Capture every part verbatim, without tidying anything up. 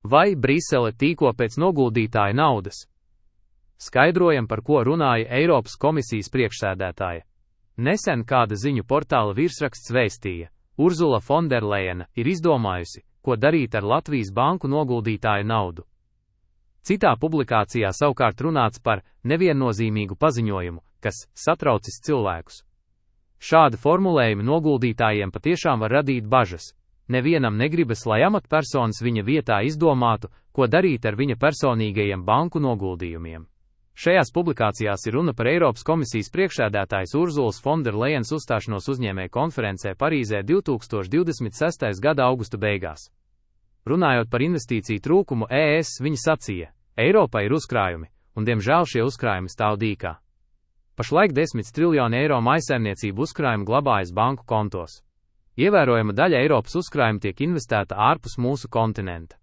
Vai Brisele tīko pēc noguldītāja naudas? Skaidrojam, par ko runāja Eiropas komisijas priekšsēdētāja. Nesen kāda ziņu portāla virsraksts vēstīja, Urzula Fonderlejena ir izdomājusi, ko darīt ar Latvijas banku noguldītāja naudu. Citā publikācijā savukārt runāts par neviennozīmīgu paziņojumu, kas satraucis cilvēkus. Šādi formulējumi noguldītājiem patiešām var radīt bažas. Nevienam negribas, lai amatpersonas viņa vietā izdomātu, ko darīt ar viņa personīgajiem banku noguldījumiem. Šajās publikācijās ir runa par Eiropas komisijas priekšsēdētājas Urzulas Fonderlejenas uzstāšanos uzņēmēju konferencē Parīzē divtūkstoš divdesmit sestā gada augusta beigās. Runājot par investīciju trūkumu E S, viņa sacīja, Eiropā ir uzkrājumi, un diemžēl šie uzkrājumi stāv dīkā. Pašlaik desmit triljoni eiro mājsaimniecību uzkrājumu glabājas banku kontos. Ievērojama daļa Eiropas uzkrājuma tiek investēta ārpus mūsu kontinenta.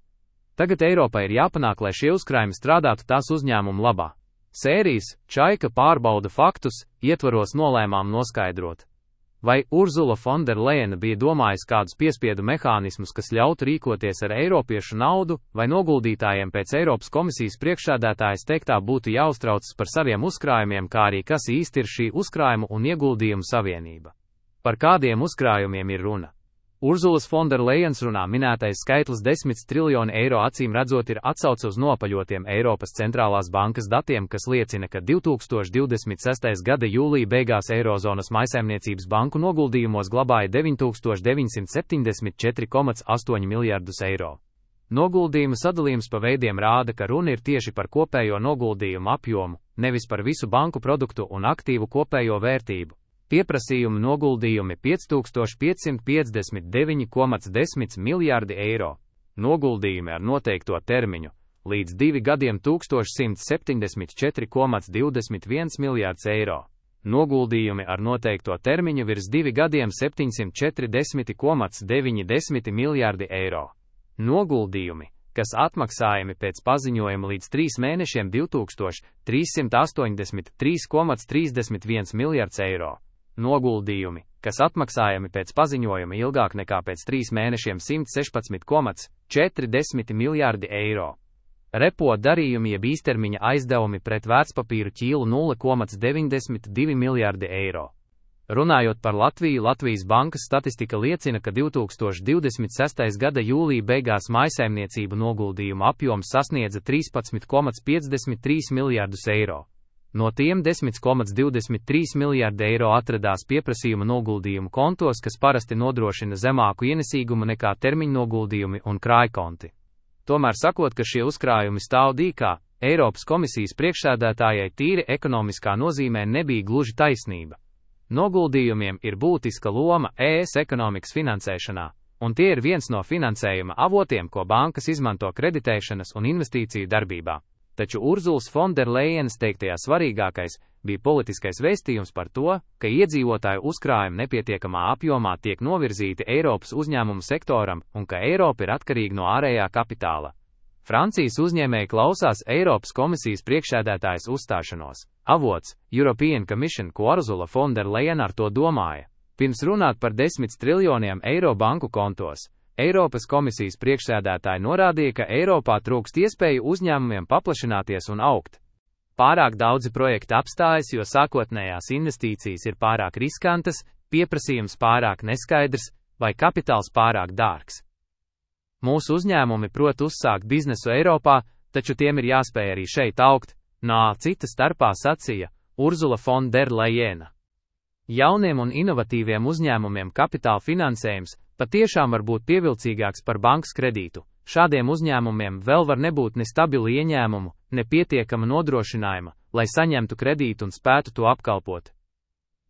Tagad Eiropai ir jāpanāk, lai šie uzkrājumi strādātu tās uzņēmumu labā. Sērijas Čaika pārbauda faktus ietvaros nolēmām noskaidrot, vai Urzula Fonderlejena bija domājusi kādus piespiedu mehānismus, kas ļautu rīkoties ar eiropiešu naudu, vai noguldītājiem pēc Eiropas komisijas priekšsēdētājas teiktā būtu jāuztraucas par saviem uzkrājumiem, kā arī kas īsti ir šī uzkrājumu un ieguldījumu savienība. Par kādiem uzkrājumiem ir runa? Urzulas Fonderlejenas runā minētais skaitlis desmit triljoni eiro acīm redzot ir atsauce uz nopaļotiem Eiropas centrālās bankas datiem, kas liecina, ka divtūkstoš divdesmit sestā gada jūlija beigās Eirozonas mājsaimniecības banku noguldījumos glabāja deviņi tūkstoši deviņsimt septiņdesmit četri komats astoņi miljardus eiro. Noguldījumu sadalījums pa veidiem rāda, ka runa ir tieši par kopējo noguldījumu apjomu, nevis par visu banku produktu un aktīvu kopējo vērtību. Pieprasījumu noguldījumi pieci tūkstoši piecsimt piecdesmit deviņi komats desmit miljardi eiro. Noguldījumi ar noteikto termiņu līdz divi gadiem tūkstoš simts septiņdesmit četri komats divdesmit viens miljards eiro. Noguldījumi ar noteikto termiņu virs divi gadiem septiņsimt četrdesmit komats deviņdesmit miljardi eiro. Noguldījumi, kas atmaksājami pēc paziņojuma līdz trīs mēnešiem divtūkstoš trīssimt astoņdesmit trīs komats trīsdesmit viens miljards eiro. Noguldījumi, kas atmaksājami pēc paziņojuma ilgāk nekā pēc trīs mēnešiem simt sešpadsmit komats četrdesmit miljardi eiro. Repo darījumi jeb īstermiņa aizdevumi pret vērtspapīru ķīlu nulle komats deviņdesmit divi miljardi eiro. Runājot par Latviju, Latvijas bankas statistika liecina, ka divtūkstoš divdesmit sestā gada jūlija beigās mājsaimniecību noguldījumu apjoms sasniedza trīspadsmit komats piecdesmit trīs miljardus eiro. No tiem desmit komats divdesmit trīs miljardi eiro atradās pieprasījuma noguldījumu kontos, kas parasti nodrošina zemāku ienesīgumu nekā termiņnoguldījumi un krājkonti. Tomēr sakot, ka šie uzkrājumi stāv dīkā, Eiropas komisijas priekšsēdētājai tīri ekonomiskā nozīmē nebija gluži taisnība. Noguldījumiem ir būtiska loma E S ekonomikas finansēšanā, un tie ir viens no finansējuma avotiem, ko bankas izmanto kreditēšanas un investīciju darbībā. Taču Urzulas Fonderlejenas teiktajā svarīgākais bija politiskais vēstījums par to, ka iedzīvotāju uzkrājumi nepietiekamā apjomā tiek novirzīti Eiropas uzņēmumu sektoram un ka Eiropa ir atkarīga no ārējā kapitāla. Francijas uzņēmēji klausās Eiropas komisijas priekšsēdētājas uzstāšanos. Avots European Commission, ko Urzula Fonderlejena ar to domāja. Pirms runāt par desmit triljoniem eiro banku kontos, Eiropas komisijas priekšsēdētāji norādīja, ka Eiropā trūkst iespēju uzņēmumiem paplašināties un augt. Pārāk daudzi projekti apstājas, jo sākotnējās investīcijas ir pārāk riskantas, pieprasījums pārāk neskaidrs vai kapitāls pārāk dārgs. Mūsu uzņēmumi prot uzsākt biznesu Eiropā, taču tiem ir jāspēj arī šeit augt, nā cita starpā sacīja Urzula Fonderlejena. Jauniem un inovatīviem uzņēmumiem kapitāla finansējums patiešām var būt pievilcīgāks par bankas kredītu. Šādiem uzņēmumiem vēl var nebūt ne stabilu ieņēmumu, ne pietiekama nodrošinājuma, lai saņemtu kredītu un spētu to apkalpot.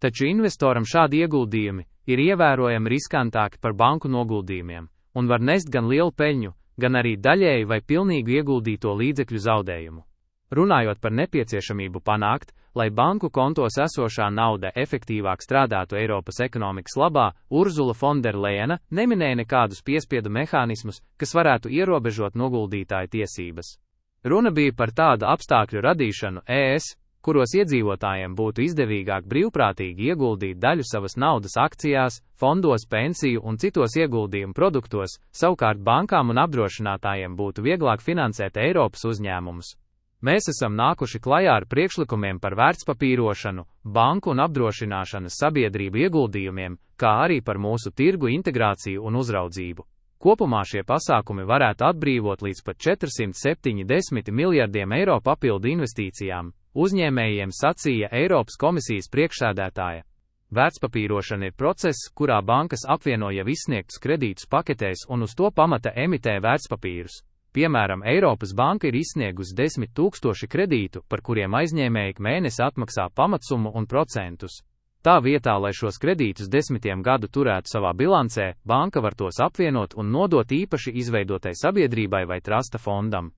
Taču investoram šādi ieguldījumi ir ievērojami riskantāki par banku noguldījumiem un var nest gan lielu peļņu, gan arī daļēju vai pilnīgu ieguldīto līdzekļu zaudējumu. Runājot par nepieciešamību panākt, lai banku kontos esošā nauda efektīvāk strādātu Eiropas ekonomikas labā, Urzula Fonderlejena neminēja nekādus piespiedu mehānismus, kas varētu ierobežot noguldītāju tiesības. Runa bija par tādu apstākļu radīšanu E S, kuros iedzīvotājiem būtu izdevīgāk brīvprātīgi ieguldīt daļu savas naudas akcijās, fondos, pensiju un citos ieguldījumu produktos, savukārt bankām un apdrošinātājiem būtu vieglāk finansēt Eiropas uzņēmumus. Mēs esam nākuši klajā ar priekšlikumiem par vērtspapīrošanu, banku un apdrošināšanas sabiedrību ieguldījumiem, kā arī par mūsu tirgu integrāciju un uzraudzību. Kopumā šie pasākumi varētu atbrīvot līdz pat četrsimt septiņdesmit miljardiem eiro papildu investīcijām, uzņēmējiem sacīja Eiropas komisijas priekšsēdētāja. Vērtspapīrošana ir process, kurā bankas apvieno jau izsniegtus kredītus paketēs un uz to pamata emitē vērtspapīrus. Piemēram, Eiropas banka ir izsniegusi desmit tūkstoši kredītu, par kuriem aizņēmēji ik mēnesi atmaksā pamatsummu un procentus. Tā vietā, lai šos kredītus desmitiem gadu turētu savā bilancē, banka var tos apvienot un nodot īpaši izveidotai sabiedrībai vai trasta fondam.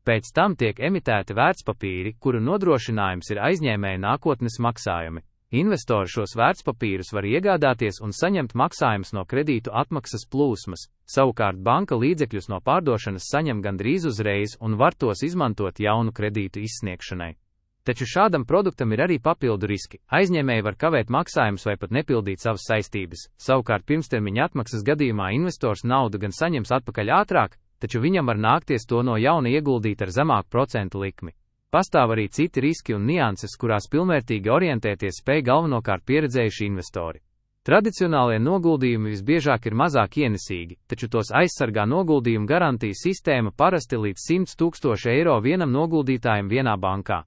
Pēc tam tiek emitēti vērtspapīri, kuru nodrošinājums ir aizņēmēja nākotnes maksājumi. Investori šos vērtspapīrus var iegādāties un saņemt maksājumus no kredītu atmaksas plūsmas, savukārt banka līdzekļus no pārdošanas saņem gandrīz uzreiz un var tos izmantot jaunu kredītu izsniegšanai. Taču šādam produktam ir arī papildu riski. Aizņēmēji var kavēt maksājumus vai pat nepildīt savas saistības. Savukārt pirmstermiņa atmaksas gadījumā investors naudu gan saņems atpakaļ ātrāk, taču viņam var nākties to no jauna ieguldīt ar zemāku procentu likmi. Pastāv arī citi riski un nianses, kurās pilnvērtīgi orientēties spēj galvenokārt pieredzējuši investori. Tradicionālie noguldījumi visbiežāk ir mazāk ienesīgi, taču tos aizsargā noguldījumu garantijas sistēma parasti līdz simt tūkstoši eiro vienam noguldītājam vienā bankā.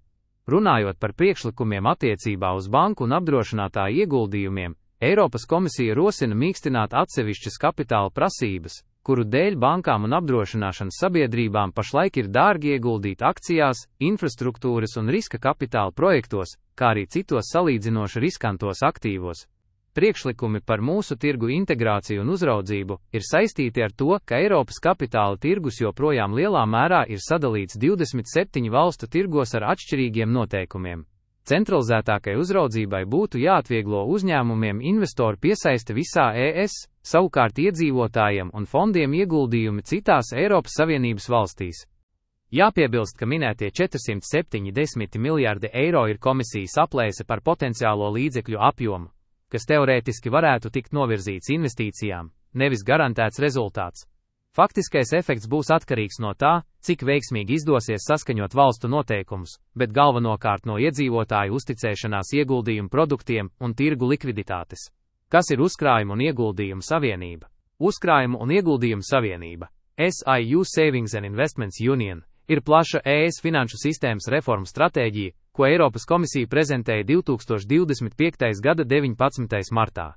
Runājot par priekšlikumiem attiecībā uz banku un apdrošinātāju ieguldījumiem, Eiropas komisija rosina mīkstināt atsevišķas kapitāla prasības, kuru dēļ bankām un apdrošināšanas sabiedrībām pašlaik ir dārgi ieguldīt akcijās, infrastruktūras un riska kapitāla projektos, kā arī citos salīdzinoši riskantos aktīvos. Priekšlikumi par mūsu tirgu integrāciju un uzraudzību ir saistīti ar to, ka Eiropas kapitāla tirgus joprojām lielā mērā ir sadalīts divdesmit septiņu valstu tirgos ar atšķirīgiem noteikumiem. Centralizētākai uzraudzībai būtu jāatvieglo uzņēmumiem investoru piesaiste visā E S, savukārt iedzīvotājiem un fondiem ieguldījumi citās Eiropas Savienības valstīs. Jāpiebilst, ka minētie četrsimt septiņdesmit miljardi eiro ir komisijas aplēse par potenciālo līdzekļu apjomu, kas teorētiski varētu tikt novirzīts investīcijām, nevis garantēts rezultāts. Faktiskais efekts būs atkarīgs no tā, cik veiksmīgi izdosies saskaņot valstu noteikumus, bet galvenokārt no iedzīvotāju uzticēšanās ieguldījumu produktiem un tirgu likviditātes. Kas ir uzkrājumu un ieguldījumu savienība? Uzkrājumu un ieguldījumu savienība, S I U Savings and Investments Union, ir plaša E S finanšu sistēmas reformu stratēģija, ko Eiropas komisija prezentēja divtūkstoš divdesmit piektajā gada deviņpadsmitajā martā.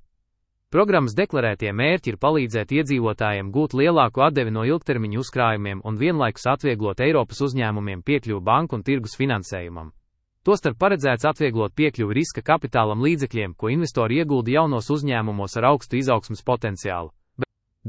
Programmas deklarētie mērķi ir palīdzēt iedzīvotājiem gūt lielāku atdevi no ilgtermiņa uzkrājumiem un vienlaikus atvieglot Eiropas uzņēmumiem piekļuvi banku un tirgus finansējumam. Tostarp paredzēts atvieglot piekļuvi riska kapitālam līdzekļiem, ko investori iegulda jaunos uzņēmumos ar augstu izaugsmes potenciālu.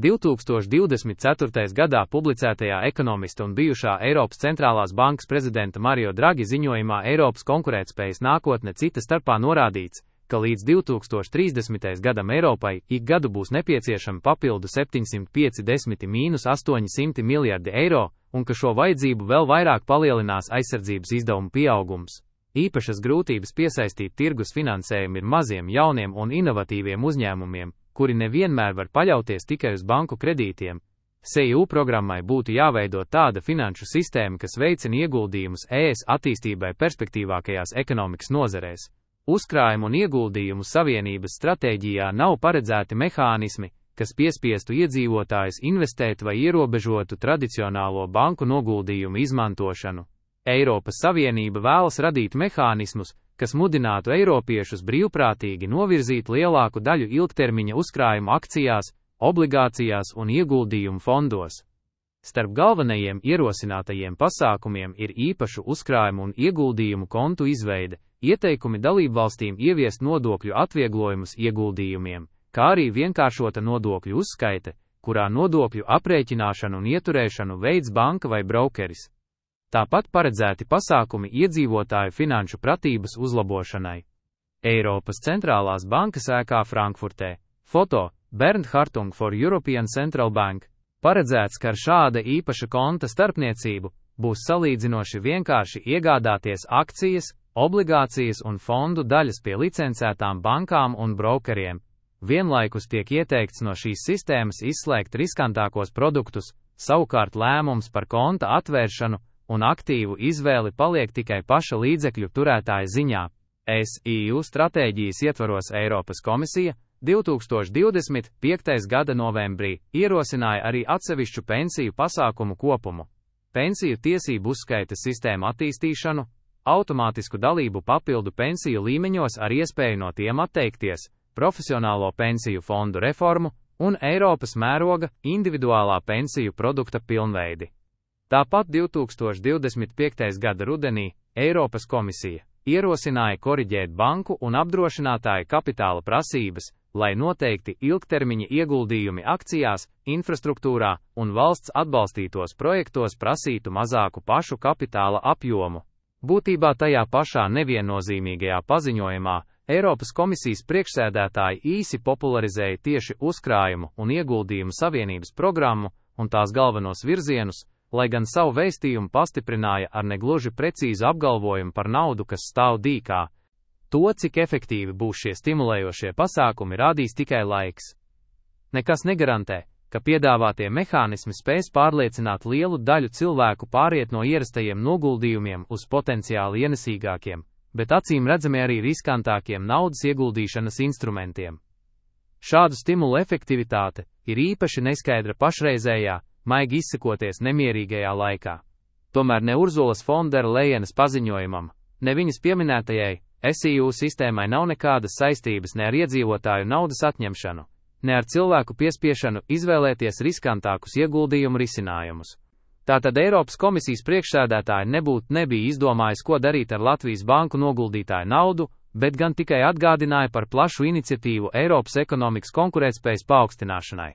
divtūkstoš divdesmit ceturtajā gadā publicētajā ekonomista un bijušā Eiropas centrālās bankas prezidenta Mario Draghi ziņojumā Eiropas konkurētspējas nākotne cita starpā norādīts, ka līdz divtūkstoš trīsdesmitajam gadam Eiropai ik gadu būs nepieciešami papildu septiņsimt piecdesmit līdz astoņsimt miljardi eiro, un ka šo vajadzību vēl vairāk palielinās aizsardzības izdevumu pieaugums. Īpašas grūtības piesaistīt tirgus finansējumu ir maziem, jauniem un inovatīviem uzņēmumiem, kuri nevienmēr var paļauties tikai uz banku kredītiem. S I U programmai būtu jāveido tāda finanšu sistēma, kas veicina ieguldījumus E S attīstībai perspektīvākajās ekonomikas nozarēs. Uzkrājumu un ieguldījumu savienības stratēģijā nav paredzēti mehānismi, kas piespiestu iedzīvotājus investēt vai ierobežotu tradicionālo banku noguldījumu izmantošanu. Eiropas Savienība vēlas radīt mehānismus, kas mudinātu eiropiešus brīvprātīgi novirzīt lielāku daļu ilgtermiņa uzkrājumu akcijās, obligācijās un ieguldījumu fondos. Starp galvenajiem ierosinātajiem pasākumiem ir īpašu uzkrājumu un ieguldījumu kontu izveide, ieteikumi dalībvalstīm ieviest nodokļu atvieglojumus ieguldījumiem, kā arī vienkāršota nodokļu uzskaite, kurā nodokļu aprēķināšanu un ieturēšanu veids banka vai brokeris. Tāpat paredzēti pasākumi iedzīvotāju finanšu pratības uzlabošanai. Eiropas centrālās bankas ēkā Frankfurtē. Foto: Bernd Hartung for European Central Bank. Paredzēts, ka ar šāda īpaša konta starpniecību būs salīdzinoši vienkārši iegādāties akcijas, obligācijas un fondu daļas pie licencētām bankām un brokeriem. Vienlaikus tiek ieteikts no šīs sistēmas izslēgt riskantākos produktus, savukārt lēmums par konta atvēršanu un aktīvu izvēli paliek tikai paša līdzekļu turētāja ziņā. S I U stratēģijas ietvaros Eiropas komisija divi tūkstoši divdesmit piektajā gada novembrī ierosināja arī atsevišķu pensiju pasākumu kopumu, pensiju tiesību uzskaites sistēmu attīstīšanu, automātisku dalību papildu pensiju līmeņos ar iespēju no tiem atteikties, profesionālo pensiju fondu reformu un Eiropas mēroga individuālā pensiju produkta pilnveidi. Tāpat divi tūkstoši divdesmit piektajā gada rudenī Eiropas komisija ierosināja koriģēt banku un apdrošinātāju kapitāla prasības, lai noteikti ilgtermiņa ieguldījumi akcijās, infrastruktūrā un valsts atbalstītos projektos prasītu mazāku pašu kapitāla apjomu. Būtībā tajā pašā neviennozīmīgajā paziņojumā Eiropas komisijas priekšsēdētāji īsi popularizēja tieši uzkrājumu un ieguldījumu savienības programmu un tās galvenos virzienus, lai gan savu vēstījumu pastiprināja ar negluži precīzu apgalvojumu par naudu, kas stāv dīkā. To, cik efektīvi būs šie stimulējošie pasākumi, rādīs tikai laiks. Nekas negarantē, ka piedāvātie mehānismi spēs pārliecināt lielu daļu cilvēku pāriet no ierastajiem noguldījumiem uz potenciāli ienesīgākiem, bet acīm redzami arī riskantākiem naudas ieguldīšanas instrumentiem. Šādu stimulu efektivitāte ir īpaši neskaidra pašreizējā, maigi izsakoties, nemierīgajā laikā. Tomēr ne Urzulas Fondera Lejenas paziņojumam, ne viņas pieminētajai S I U sistēmai nav nekādas saistības ne ar iedzīvotāju naudas atņemšanu, ne ar cilvēku piespiešanu izvēlēties riskantākus ieguldījumu risinājumus. Tātad Eiropas komisijas priekšsēdētāji nebūtu nebija izdomājis, ko darīt ar Latvijas banku noguldītāju naudu, bet gan tikai atgādināja par plašu iniciatīvu Eiropas ekonomikas konkurētspējas paaugstināšanai.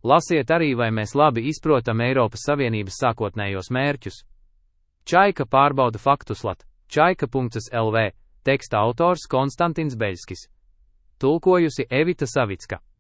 Lasiet arī, vai mēs labi izprotam Eiropas Savienības sākotnējos mērķus. Čaika pārbauda faktus lat, čaika punkts L V, teksta autors Konstantins Beļskis. Tulkojusi Evita Savicka.